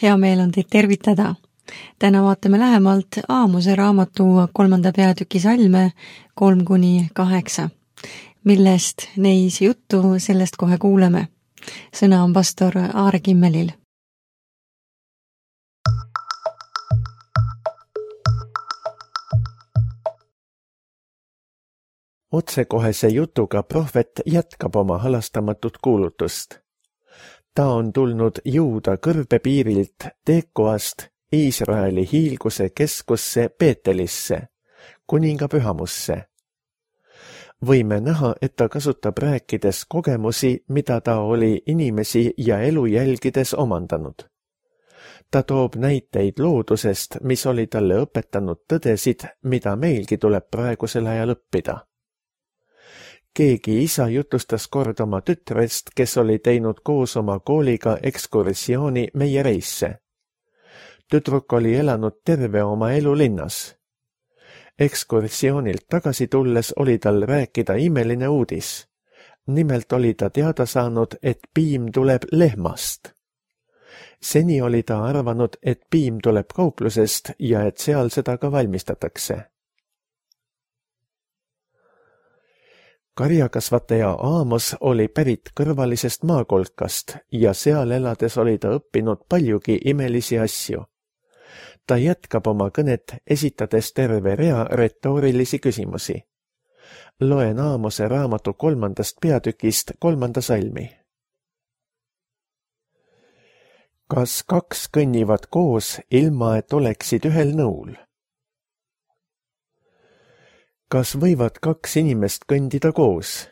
Hea meel on teid tervitada. Täna vaatame lähemalt Aamose raamatu 3. peatüki salme 3-8, millest neis juttu sellest kohe kuuleme. Sõna on pastor Aare Kimmelil. Otsekohese jutuga prohvet jätkab oma halastamatut kuulutust. Ta on tulnud Juuda kõrbepiirilt Tekoast Iisraeli hiilguse keskusse Peetelisse, kuninga pühamusse. Võime näha, et ta kasutab rääkides kogemusi, mida ta oli inimesi ja elu jälgides omandanud. Ta toob näiteid loodusest, mis oli talle õpetanud tõdesid, mida meilgi tuleb praegusel ajal õppida. Keegi isa jutustas kord oma tütrest, kes oli teinud koos oma kooliga ekskursiooni meie reisse. Tüdruk oli elanud terve oma elu linnas. Ekskursioonilt tagasi tulles oli tal rääkida imeline uudis. Nimelt oli ta teada saanud, et piim tuleb lehmast. Seni oli ta arvanud, et piim tuleb kauplusest ja et seal seda ka valmistatakse. Karjakasvataja Aamos oli pärit kõrvalisest maakolkast ja seal elades oli ta õppinud paljugi imelisi asju. Ta jätkab oma kõnet, esitades terve rea retoorilisi küsimusi. Loen Aamose raamatu 3. peatükist 3. salmi. Kas kaks kõnnivad koos, ilma et oleksid ühel nõul? Kas võivad kaks inimest kõndida koos?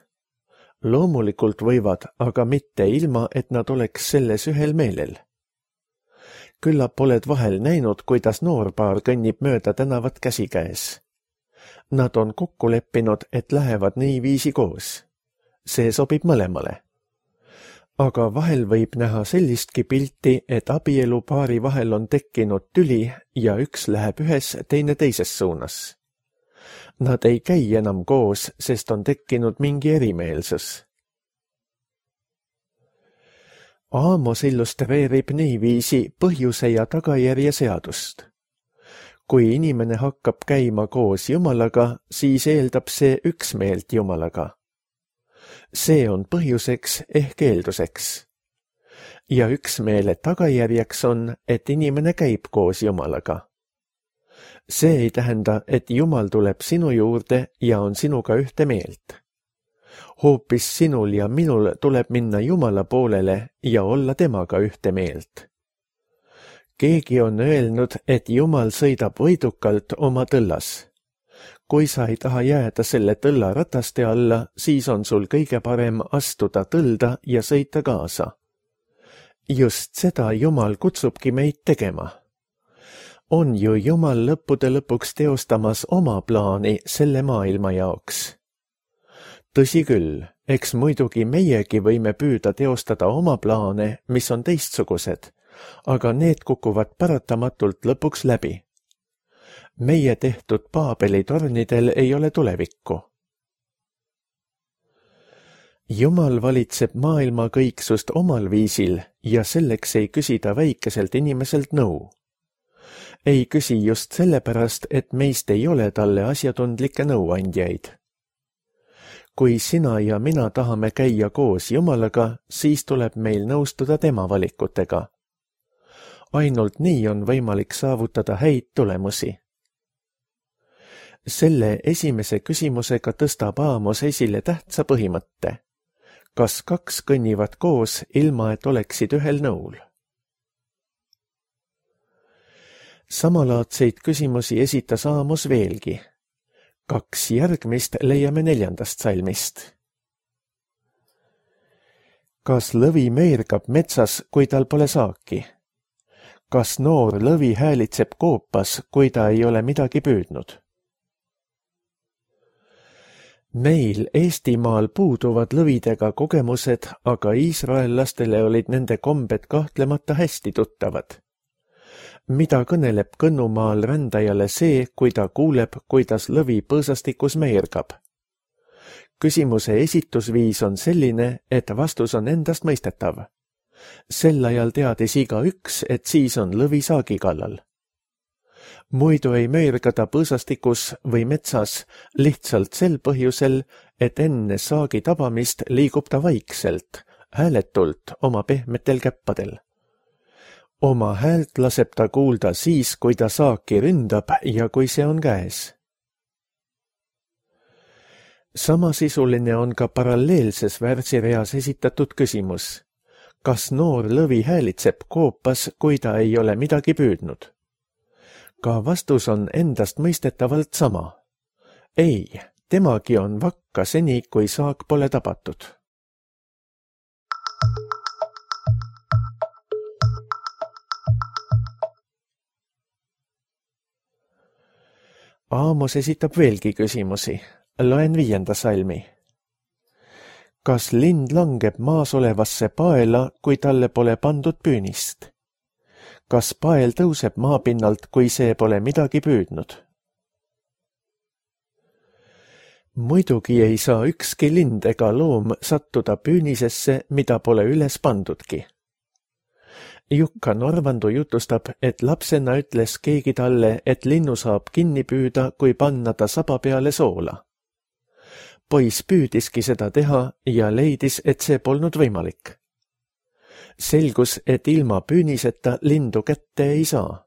Loomulikult võivad, aga mitte ilma, et nad oleks selles ühel meelel. Küllap oled vahel näinud, kuidas noorpaar kõnnib mööda tänavat käsikäes. Nad on kokku leppinud, et lähevad niiviisi koos. See sobib mõlemale. Aga vahel võib näha sellistki pilti, et abielupaari vahel on tekkinud tüli ja üks läheb ühes, teine teises suunas. Nad ei käi enam koos, sest on tekkinud mingi erimeelsus. Aamos illustreerib niiviisi põhjuse ja tagajärje seadust. Kui inimene hakkab käima koos Jumalaga, siis eeldab see üksmeelt Jumalaga. See on põhjuseks ehk eelduseks. Ja üksmeele tagajärjeks on, et inimene käib koos Jumalaga. See ei tähenda, et Jumal tuleb sinu juurde ja on sinuga ühte meelt. Hoopis sinul ja minul tuleb minna Jumala poolele ja olla temaga ühte meelt. Keegi on öelnud, et Jumal sõidab võidukalt oma tõllas. Kui sa ei taha jääda selle tõlla rataste alla, siis on sul kõige parem astuda tõlda ja sõita kaasa. Just seda Jumal kutsubki meid tegema. On ju Jumal lõppude lõpuks teostamas oma plaani selle maailma jaoks. Tõsi küll, eks muidugi meiegi võime püüda teostada oma plaane, mis on teistsugused, aga need kukuvad paratamatult lõpuks läbi. Meie tehtud Paabeli tornidel ei ole tulevikku. Jumal valitseb maailma kõiksust omal viisil ja selleks ei küsi ta väikeselt inimeselt nõu. Ei küsi just sellepärast, et meist ei ole talle asjatundlikke nõuandjaid. Kui sina ja mina tahame käia koos Jumalaga, siis tuleb meil nõustuda tema valikutega. Ainult nii on võimalik saavutada häid tulemusi. Selle esimese küsimusega tõstab Aamos esile tähtsa põhimõtte. Kas kaks kõnnivad koos, ilma et oleksid ühel nõul? Samalaadseid küsimusi esitas Aamos veelgi. 2 järgmist leiame 4. salmist. Kas lõvi meergab metsas, kui tal pole saaki? Kas noor lõvi häälitseb koopas, kui ta ei ole midagi püüdnud? Meil Eestimaal puuduvad lõvidega kogemused, aga iisraellastele olid nende kombed kahtlemata hästi tuttavad. Mida kõneleb Kõnnumaal rändajale see, kui ta kuuleb, kuidas lõvi põõsastikus meergab? Küsimuse esitusviis on selline, et vastus on endast mõistetav. Sel ajal teadis igaüks, et siis on lõvi saagi kallal. Muidu ei möirga ta põõsastikus või metsas lihtsalt sel põhjusel, et enne saagi tabamist liigub ta vaikselt, hääletult oma pehmetel käppadel. Oma häält laseb ta kuulda siis, kui ta saaki ründab ja kui see on käes. Samasisuline on ka paralleelses värsireas esitatud küsimus. Kas noor lõvi häälitseb koopas, kui ta ei ole midagi püüdnud? Ka vastus on endast mõistetavalt sama. Ei, temagi on vakka seni, kui saak pole tabatud. Aamos esitab veelgi küsimusi. Loen 5. salmi. Kas lind langeb maas olevasse paela, kui talle pole pandud püünist? Kas pael tõuseb maapinnalt, kui see pole midagi püüdnud? Muidugi ei saa ükski lind ega loom sattuda püünisesse, mida pole üles pandudki. Jukka Norvandu jutustab, et lapsena ütles keegi talle, et linnu saab kinni püüda, kui panna ta saba peale soola. Poiss püüdiski seda teha ja leidis, et see polnud võimalik. Selgus, et ilma püüniseta lindu kätte ei saa.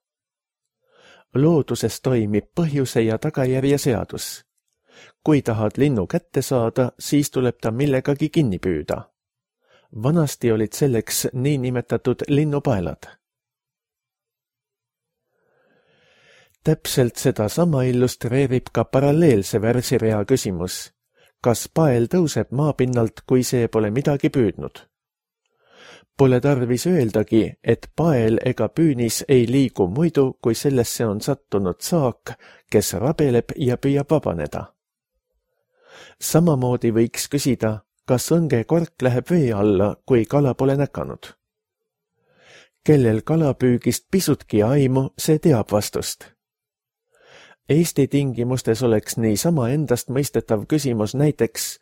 Looduses toimib põhjuse ja tagajärje seadus. Kui tahad linnu kätte saada, siis tuleb ta millegagi kinni püüda. Vanasti olid selleks niinimetatud linnupaelad. Täpselt sedasama illustreerib ka paralleelse värsirea küsimus. Kas pael tõuseb maapinnalt, kui see pole midagi püüdnud? Pole tarvis öeldagi, et pael ega püünis ei liigu muidu, kui sellesse on sattunud saak, kes rabeleb ja püüab vabaneda. Samamoodi võiks küsida, kas õngekork läheb vee alla, kui kala pole näkanud. Kellel kalapüügist pisutki aimu, see teab vastust. Eesti tingimustes oleks niisama endast mõistetav küsimus näiteks,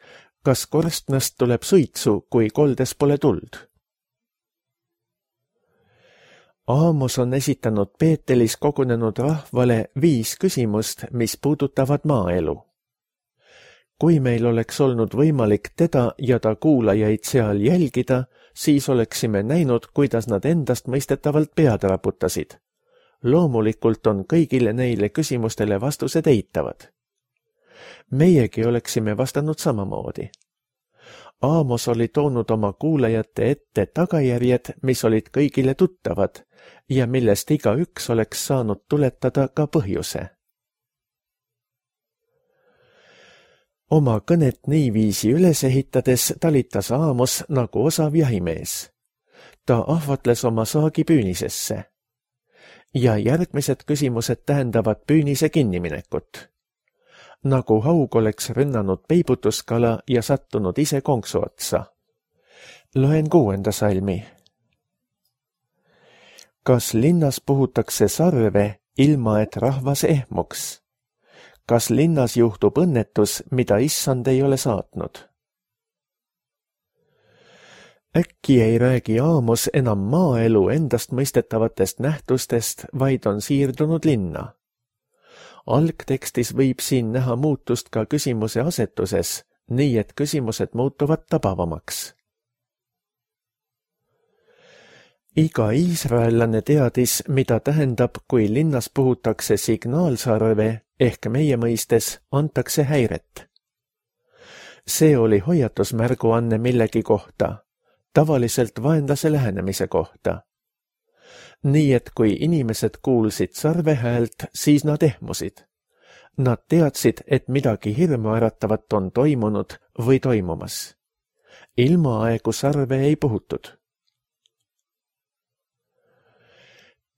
kas korstnast tuleb suitsu, kui koldes pole tuld. Aamos on esitanud Peetelis kogunenud rahvale 5 küsimust, mis puudutavad maaelu. Kui meil oleks olnud võimalik teda ja ta kuulajaid seal jälgida, siis oleksime näinud, kuidas nad endast mõistetavalt pead raputasid. Loomulikult on kõigile neile küsimustele vastused eitavad. Meiegi oleksime vastanud samamoodi. Aamos oli toonud oma kuulajate ette tagajärjed, mis olid kõigile tuttavad ja millest igaüks oleks saanud tuletada ka põhjuse. Oma kõnet niiviisi üles ehitades talitas Aamos nagu osav jahimees. Ta ahvatles oma saagi püünisesse. Ja järgmised küsimused tähendavad püünise kinniminekut. Nagu haug oleks rünnanud peibutuskala ja sattunud ise konksu otsa. Loen 6. salmi. Kas linnas puhutakse sarve, ilma et rahvas ehmuks? Kas linnas juhtub õnnetus, mida issand ei ole saatnud? Äkki ei räägi Aamos enam maaelu endast mõistetavatest nähtustest, vaid on siirdunud linna. Algtekstis võib siin näha muutust ka küsimuse asetuses, nii et küsimused muutuvad tabavamaks. Iga iisraellane teadis, mida tähendab, kui linnas puhutakse signaalsarve ehk meie mõistes antakse häiret. See oli hoiatusmärguanne millegi kohta, tavaliselt vaenlase lähenemise kohta. Nii et kui inimesed kuulsid sarve häält, siis nad ehmusid. Nad teadsid, et midagi hirmuäratavat on toimunud või toimumas. Ilma aegu sarve ei puhutud.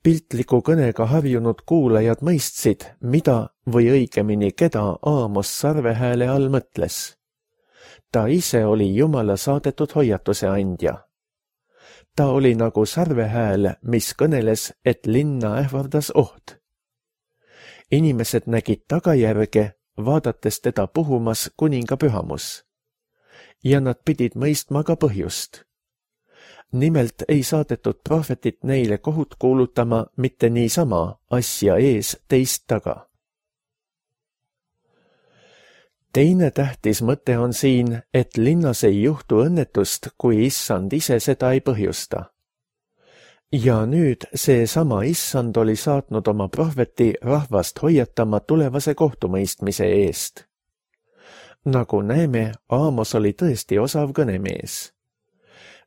Piltliku kõnega harjunud kuulajad mõistsid, mida või õigemini keda Aamos sarvehääle all mõtles. Ta ise oli Jumala saadetud hoiatuse andja. Ta oli nagu sarvehääl, mis kõneles, et linna ähvardas oht. Inimesed nägid tagajärge, vaadates teda puhumas kuninga pühamus. Ja nad pidid mõistma ka põhjust. Nimelt ei saadetud prohvetit neile kohut kuulutama mitte niisama asja ees teist taga. Teine tähtis mõte on siin, et linnas ei juhtu õnnetust, kui issand ise seda ei põhjusta. Ja nüüd seesama issand oli saatnud oma prohveti rahvast hoiatama tulevase kohtumõistmise eest. Nagu näeme, Aamos oli tõesti osav kõnemees.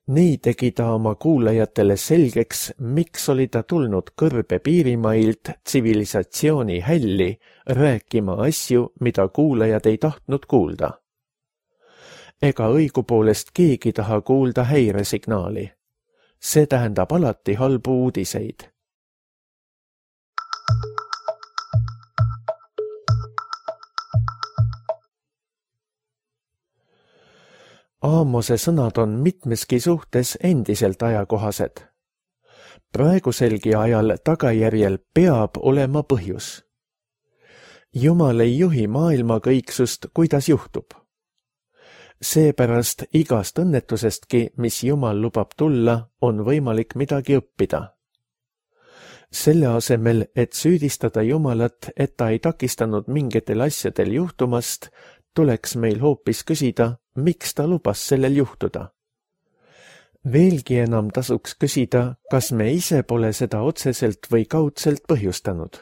Nii tegi ta oma kuulajatele selgeks, miks oli ta tulnud kõrbe piirimailt tsivilisatsiooni hälli rääkima asju, mida kuulajad ei tahtnud kuulda. Ega õigupoolest keegi taha kuulda häiresignaali. See tähendab alati halbu uudiseid. Aamose sõnad on mitmeski suhtes endiselt ajakohased. Praeguselgi ajal tagajärjel peab olema põhjus. Jumal ei juhi maailma kõiksust, kuidas juhtub. Seepärast igast õnnetusestki, mis Jumal lubab tulla, on võimalik midagi õppida. Selle asemel, et süüdistada Jumalat, et ta ei takistanud mingitel asjadel juhtumast, tuleks meil hoopis küsida, miks ta lubas sellel juhtuda. Veelgi enam tasuks küsida, kas me ise pole seda otseselt või kaudselt põhjustanud.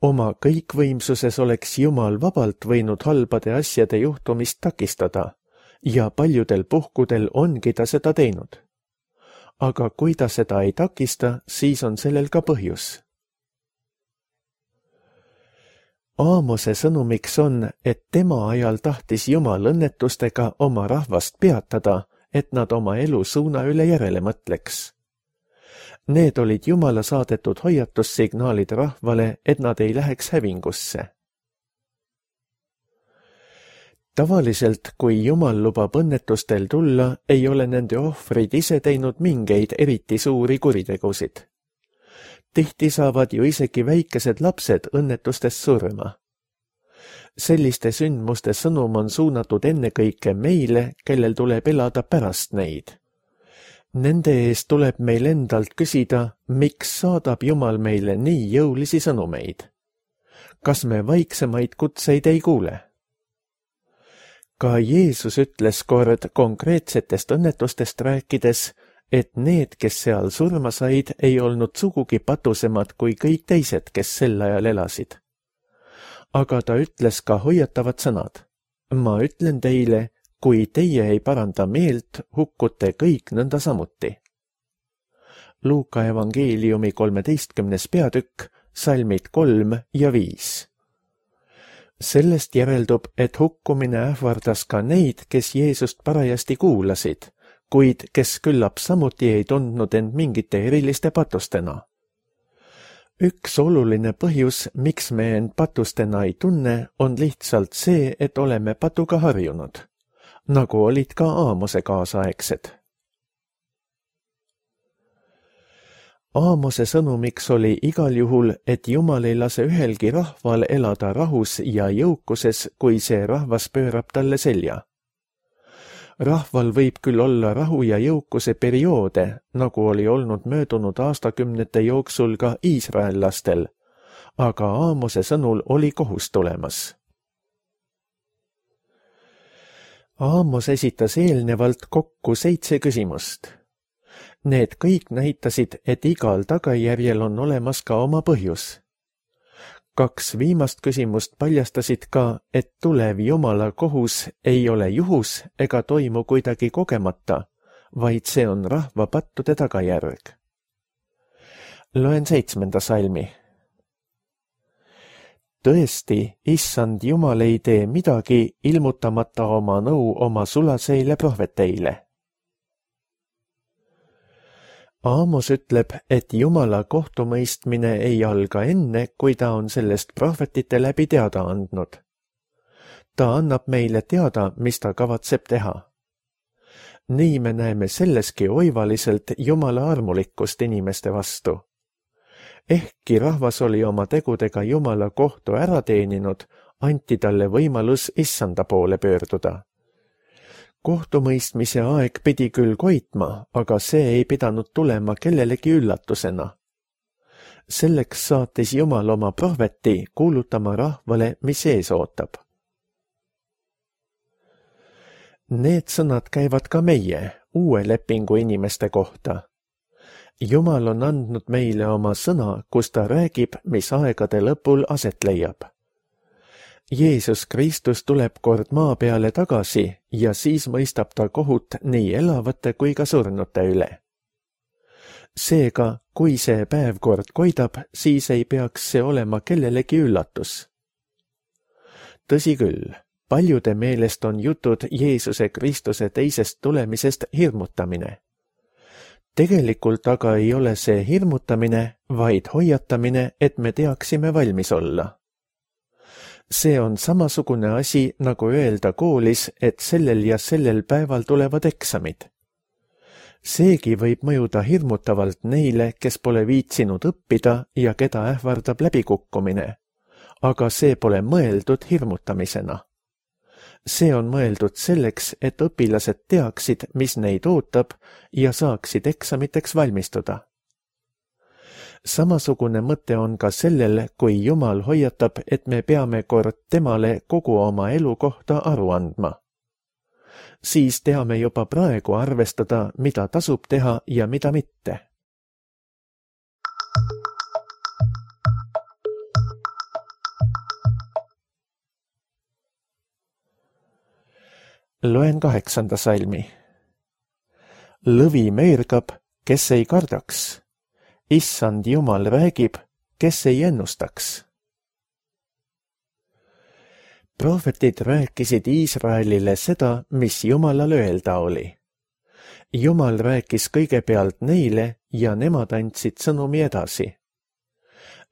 Oma kõikvõimsuses oleks Jumal vabalt võinud halbade asjade juhtumist takistada ja paljudel puhkudel ongi ta seda teinud. Aga kui ta seda ei takista, siis on sellel ka põhjus. Aamose sõnumiks on, et tema ajal tahtis Jumal õnnetustega oma rahvast peatada, et nad oma elu suuna üle järele mõtleks. Need olid Jumala saadetud hoiatussignaalid rahvale, et nad ei läheks hävingusse. Tavaliselt, kui Jumal lubab õnnetustel tulla, ei ole nende ohvrid ise teinud mingeid eriti suuri kuritegusid. Tihti saavad ju isegi väikesed lapsed õnnetustest surma. Selliste sündmuste sõnum on suunatud ennekõike meile, kellel tuleb elada pärast neid. Nende eest tuleb meil endalt küsida, miks saadab Jumal meile nii jõulisi sõnumeid. Kas me vaiksemaid kutseid ei kuule? Ka Jeesus ütles kord konkreetsetest õnnetustest rääkides, et need, kes seal surma said, ei olnud sugugi patusemad kui kõik teised, kes sel ajal elasid. Aga ta ütles ka hoiatavad sõnad. Ma ütlen teile, kui teie ei paranda meelt, hukkute kõik nõnda samuti. Luuka evangeeliumi 13. peatükk, salmid 3 ja 5. Sellest järeldub, et hukkumine ähvardas ka neid, kes Jeesust parajasti kuulasid, kuid kes küllap samuti ei tundnud end mingite eriliste patustena. Üks oluline põhjus, miks me end patustena ei tunne, on lihtsalt see, et oleme patuga harjunud, nagu olid ka Aamose kaasaegsed. Aamose sõnumiks oli igal juhul, et Jumal ei lase ühelgi rahval elada rahus ja jõukuses, kui see rahvas pöörab talle selja. Rahval võib küll olla rahu ja jõukuse perioode, nagu oli olnud möödunud aastakümnete jooksul ka iisraellastel, aga Aamose sõnul oli kohus tulemas. Aamos esitas eelnevalt kokku 7 küsimust. Need kõik näitasid, et igal tagajärjel on olemas ka oma põhjus. 2 viimast küsimust paljastasid ka, et tulev Jumala kohus ei ole juhus ega toimu kuidagi kogemata, vaid see on rahva pattude tagajärg. Loen 7. salmi. Tõesti, issand Jumal ei tee midagi, ilmutamata oma nõu oma sulaseile prohveteile. Aamos ütleb, et Jumala kohtumõistmine ei alga enne, kui ta on sellest prohvetite läbi teada andnud. Ta annab meile teada, mis ta kavatseb teha. Nii me näeme selleski oivaliselt Jumala armulikkust inimeste vastu. Ehkki rahvas oli oma tegudega Jumala kohtu ära teeninud, anti talle võimalus issanda poole pöörduda. Kohtumõistmise aeg pidi küll koitma, aga see ei pidanud tulema kellelegi üllatusena. Selleks saatis Jumal oma prohveti kuulutama rahvale, mis ees ootab. Need sõnad käivad ka meie, uue lepingu inimeste kohta. Jumal on andnud meile oma sõna, kus ta räägib, mis aegade lõpul aset leiab. Jeesus Kristus tuleb kord maa peale tagasi ja siis mõistab ta kohut nii elavate kui ka surnute üle. Seega, kui see päev kord koidab, siis ei peaks see olema kellelegi üllatus. Tõsi küll, paljude meelest on jutud Jeesuse Kristuse teisest tulemisest hirmutamine. Tegelikult aga ei ole see hirmutamine, vaid hoiatamine, et me teaksime valmis olla. See on samasugune asi, nagu öelda koolis, et sellel ja sellel päeval tulevad eksamid. Seegi võib mõjuda hirmutavalt neile, kes pole viitsinud õppida ja keda ähvardab läbikukkumine, aga see pole mõeldud hirmutamisena. See on mõeldud selleks, et õpilased teaksid, mis neid ootab ja saaksid eksamiteks valmistuda. Samasugune mõte on ka sellel, kui Jumal hoiatab, et me peame kord temale kogu oma elu kohta aru andma. Siis teame juba praegu arvestada, mida tasub teha ja mida mitte. Loen 8. salmi. Lõvi meergab, kes ei kardaks. Issand Jumal räägib, kes ei ennustaks. Prohvetid rääkisid Iisraelile seda, mis Jumalal öelda oli. Jumal rääkis kõigepealt neile ja nemad andsid sõnumi edasi.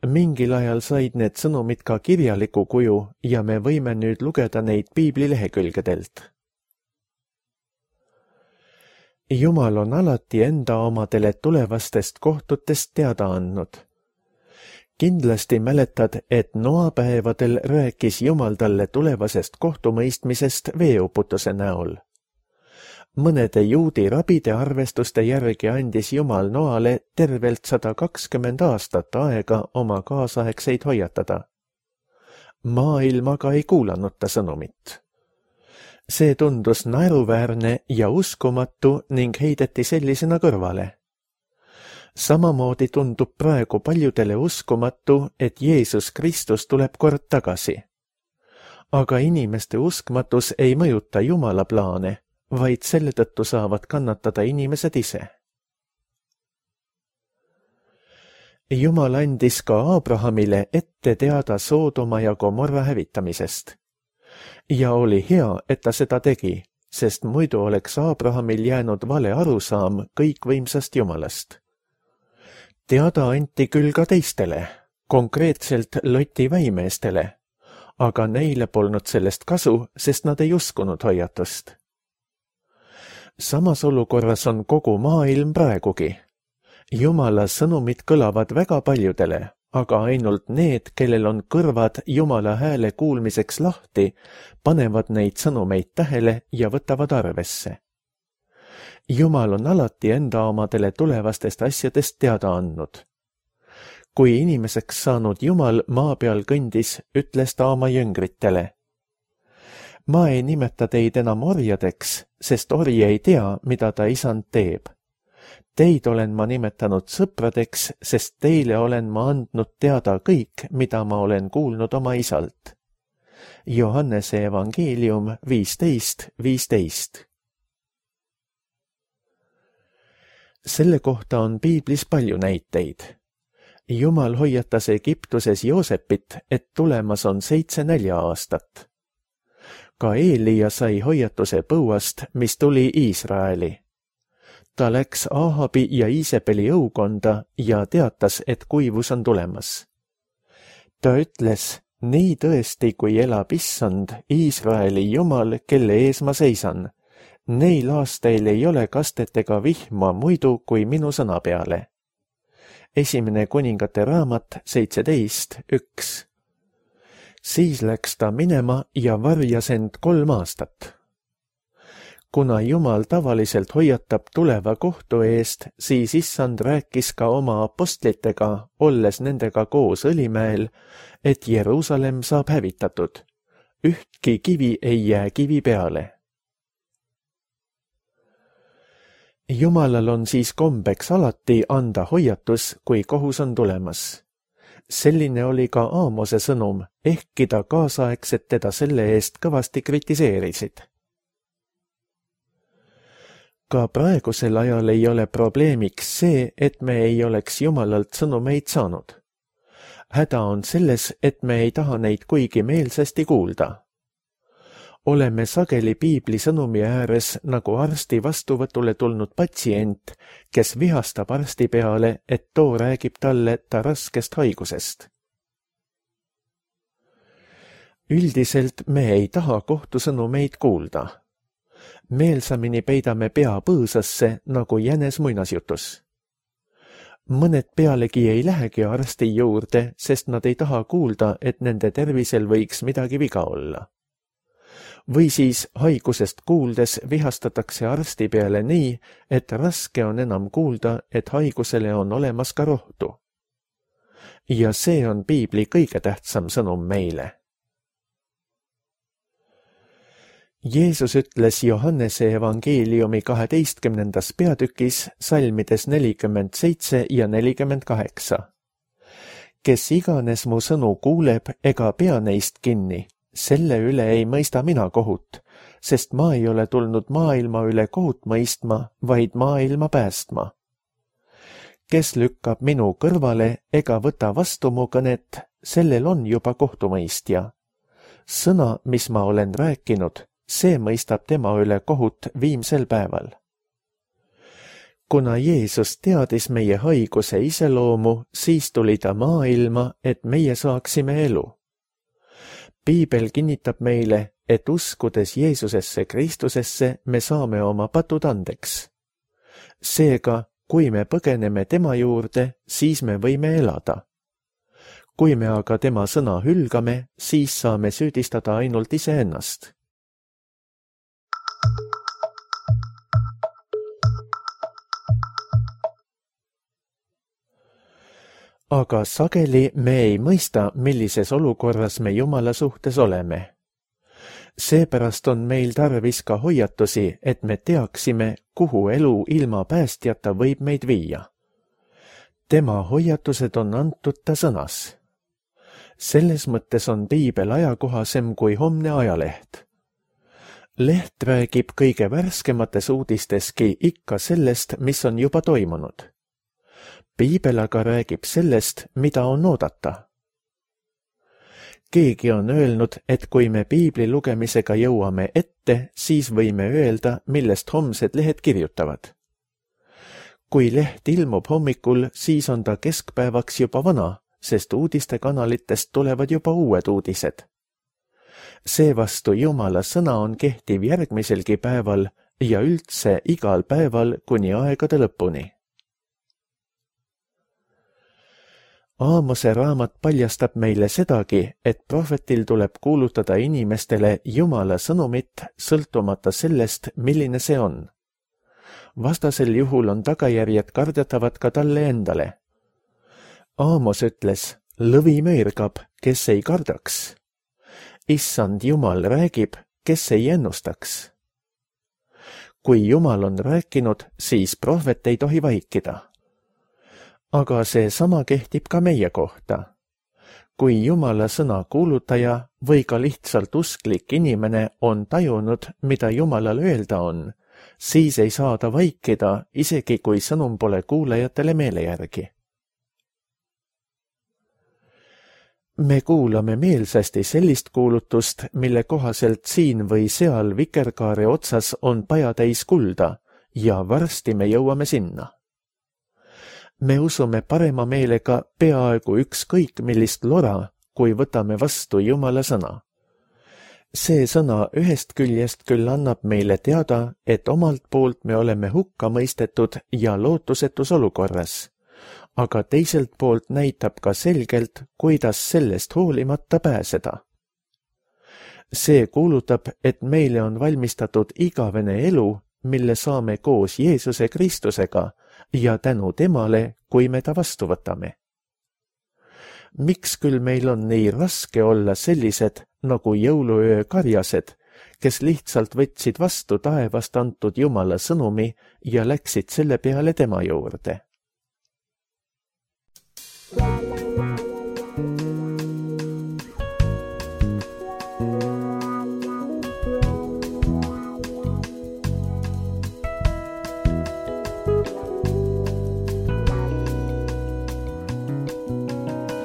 Mingil ajal said need sõnumid ka kirjaliku kuju ja me võime nüüd lugeda neid piibli lehekülgedelt. Jumal on alati enda omadele tulevastest kohtutest teada andnud. Kindlasti mäletad, et Noa päevadel rääkis Jumal talle tulevasest kohtumõistmisest veeuputuse näol. Mõnede juudi rabide arvestuste järgi andis Jumal Noale tervelt 120 aastat aega oma kaasaegseid hoiatada. Maailm aga ei kuulanud ta sõnumit. See tundus naeruväärne ja uskumatu ning heideti sellisena kõrvale. Samamoodi tundub praegu paljudele uskumatu, et Jeesus Kristus tuleb kord tagasi. Aga inimeste uskmatus ei mõjuta Jumala plaane, vaid selle tõttu saavad kannatada inimesed ise. Jumal andis ka Abrahamile ette teada Soodoma ja Gomorra hävitamisest. Ja oli hea, et ta seda tegi, sest muidu oleks Abrahamil jäänud vale arusaam kõikvõimsast Jumalast. Teada anti küll ka teistele, konkreetselt Loti väimeestele, aga neile polnud sellest kasu, sest nad ei uskunud hoiatust. Samas olukorras on kogu maailm praegugi. Jumala sõnumid kõlavad väga paljudele, aga ainult need, kellel on kõrvad Jumala hääle kuulmiseks lahti, panevad neid sõnumeid tähele ja võtavad arvesse. Jumal on alati enda omadele tulevastest asjadest teada andnud. Kui inimeseks saanud Jumal maa peal kõndis, ütles ta oma jüngritele: Ma ei nimeta teid enam orjadeks, sest orje ei tea, mida ta isand teeb. Teid olen ma nimetanud sõpradeks, sest teile olen ma andnud teada kõik, mida ma olen kuulnud oma isalt. Johannese evangeelium 15:15. Selle kohta on piiblis palju näiteid. Jumal hoiatas Egiptuses Joosepit, et tulemas on 7 nälja-aastat. Ka Eelia sai hoiatuse põuast, mis tuli Iisraeli. Ta läks Ahabi ja Iisebeli õukonda ja teatas, et kuivus on tulemas. Ta ütles: Nii tõesti, kui elab Issand, Iisraeli Jumal, kelle ees ma seisan, neil aastail ei ole kastet ega vihma muidu kui minu sõna peale. Esimene kuningate raamat 17:1. Siis läks ta minema ja varjas end 3 aastat. Kuna Jumal tavaliselt hoiatab tuleva kohtu eest, siis Issand rääkis ka oma apostlitega, olles nendega koos Õlimäel, et Jeruusalemm saab hävitatud. Ühtki kivi ei jää kivi peale. Jumalal on siis kombeks alati anda hoiatus, kui kohus on tulemas. Selline oli ka Aamose sõnum, ehkki ta kaasaegsed teda selle eest kõvasti kritiseerisid. Ka praegusel ajal ei ole probleemiks see, et me ei oleks Jumalalt sõnumeid saanud. Häda on selles, et me ei taha neid kuigi meelsasti kuulda. Oleme sageli piibli sõnumi ääres nagu arsti vastuvõtule tulnud patsient, kes vihastab arsti peale, et too räägib talle ta raskest haigusest. Üldiselt me ei taha kohtusõnumeid kuulda. Meelsamini peidame pea põõsasse nagu jänes muinasjutus. Mõned pealegi ei lähegi arsti juurde, sest nad ei taha kuulda, et nende tervisel võiks midagi viga olla. Või siis haigusest kuuldes vihastatakse arsti peale nii, et raske on enam kuulda, et haigusele on olemas ka rohtu. Ja see on piibli kõige tähtsam sõnum meile. Jeesus ütles Johannese evangeeliumi 12. peatükis salmides 47 ja 48. Kes iganes mu sõnu kuuleb ega pea neist kinni, selle üle ei mõista mina kohut, sest ma ei ole tulnud maailma üle kohut mõistma, vaid maailma päästma. Kes lükkab minu kõrvale ega võta vastu mu kõnet, sellel on juba kohtumõistja. Sõna, mis ma olen rääkinud, see mõistab tema üle kohut viimsel päeval. Kuna Jeesus teadis meie haiguse iseloomu, siis tuli ta maailma, et meie saaksime elu. Piibel kinnitab meile, et uskudes Jeesusesse Kristusesse me saame oma patud andeks. Seega, kui me põgeneme tema juurde, siis me võime elada. Kui me aga tema sõna hülgame, siis saame süüdistada ainult iseennast. Aga sageli me ei mõista, millises olukorras me Jumala suhtes oleme. Seepärast on meil tarvis ka hoiatusi, et me teaksime, kuhu elu ilma päästjata võib meid viia. Tema hoiatused on antud ta sõnas. Selles mõttes on piibel ajakohasem kui homne ajaleht. Leht räägib kõige värskemates uudisteski ikka sellest, mis on juba toimunud. Piibel aga räägib sellest, mida on oodata. Keegi on öelnud, et kui me piibli lugemisega jõuame ette, siis võime öelda, millest homsed lehed kirjutavad. Kui leht ilmub hommikul, siis on ta keskpäevaks juba vana, sest uudistekanalitest tulevad juba uued uudised. Seevastu Jumala sõna on kehtiv järgmiselgi päeval ja üldse igal päeval kuni aegade lõpuni. Aamose raamat paljastab meile sedagi, et prohvetil tuleb kuulutada inimestele Jumala sõnumit sõltumata sellest, milline see on. Vastasel juhul on tagajärjed kardetavad ka talle endale. Aamos ütles, lõvi möirgab, kes ei kardaks. Issand Jumal räägib, kes ei ennustaks. Kui Jumal on rääkinud, siis prohvet ei tohi vaikida. Aga see sama kehtib ka meie kohta. Kui Jumala sõna kuulutaja või ka lihtsalt usklik inimene on tajunud, mida Jumalal öelda on, siis ei saa ta vaikida, isegi kui sõnum pole kuulajatele meele järgi. Me kuulame meelsasti sellist kuulutust, mille kohaselt siin või seal vikerkaare otsas on pajatäis kulda ja varsti me jõuame sinna. Me usume parema meelega peaaegu ükskõik millist lora, kui võtame vastu Jumala sõna. See sõna ühest küljest küll annab meile teada, et omalt poolt me oleme hukka mõistetud ja lootusetus olukorras, aga teiselt poolt näitab ka selgelt, kuidas sellest hoolimata pääseda. See kuulutab, et meile on valmistatud igavene elu, mille saame koos Jeesuse Kristusega ja tänu temale, kui me ta vastu võtame. Miks küll meil on nii raske olla sellised nagu jõuluöö karjased, kes lihtsalt võtsid vastu taevast antud Jumala sõnumi ja läksid selle peale tema juurde?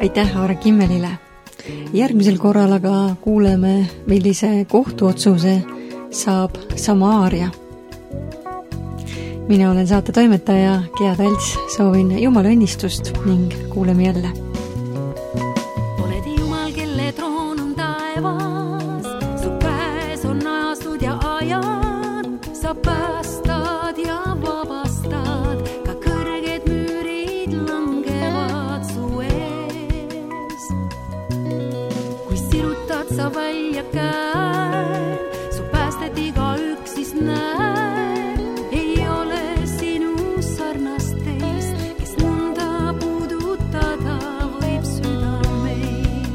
Aitäh Aare Kimmelile. Järgmisel korral aga kuuleme, millise kohtuotsuse saab Samaaria. Mina olen saate toimetaja Gea Talts, soovin Jumala õnnistust ning kuuleme jälle. Oled Jumal, kelle troon on taevas, su käes on ajastud ja ajad, sa päästad ja vabastad, ka kõrged müürid langevad su ees. Kui sirutad sa välja käe, su päästet igaüks siis näeb, ei ole sinu sarnast teist, kes nõnda puudutada võib südameid.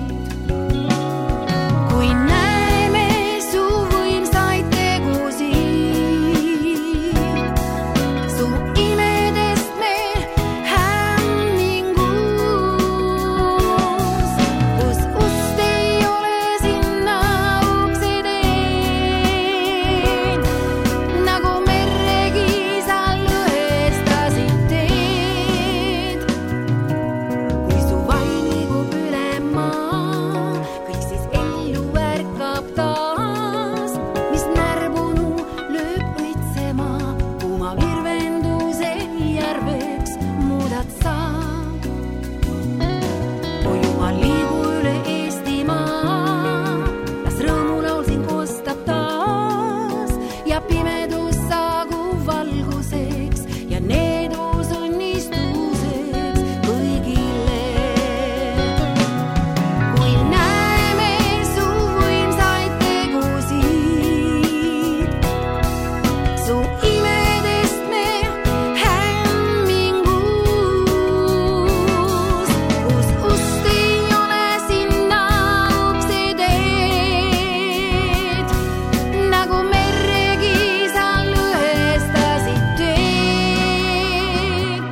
Kui näeme su võimsaid tegusid, su imedest me hämmingus, kus ust ei ole sinna ukse teed, nagu merregi sa lõhestasid teed. Kui su vaim liigub üle maa, kõik siis ellu ärkab taas, mis närbunu lööb õitsema, kuuma virvenduse järveks muudad sa. O Jumal, liigu üle Eestimaa, las rõõmulaul sind kostab taas ja pimedus saagu valguseks ja needus õnnistuseks kõigile. Kui näeme su võimsaid tegusid, su imedest me hämmingus, kus ust ei ole sinna ukse teed, nagu merregi sa lõhestasid teed.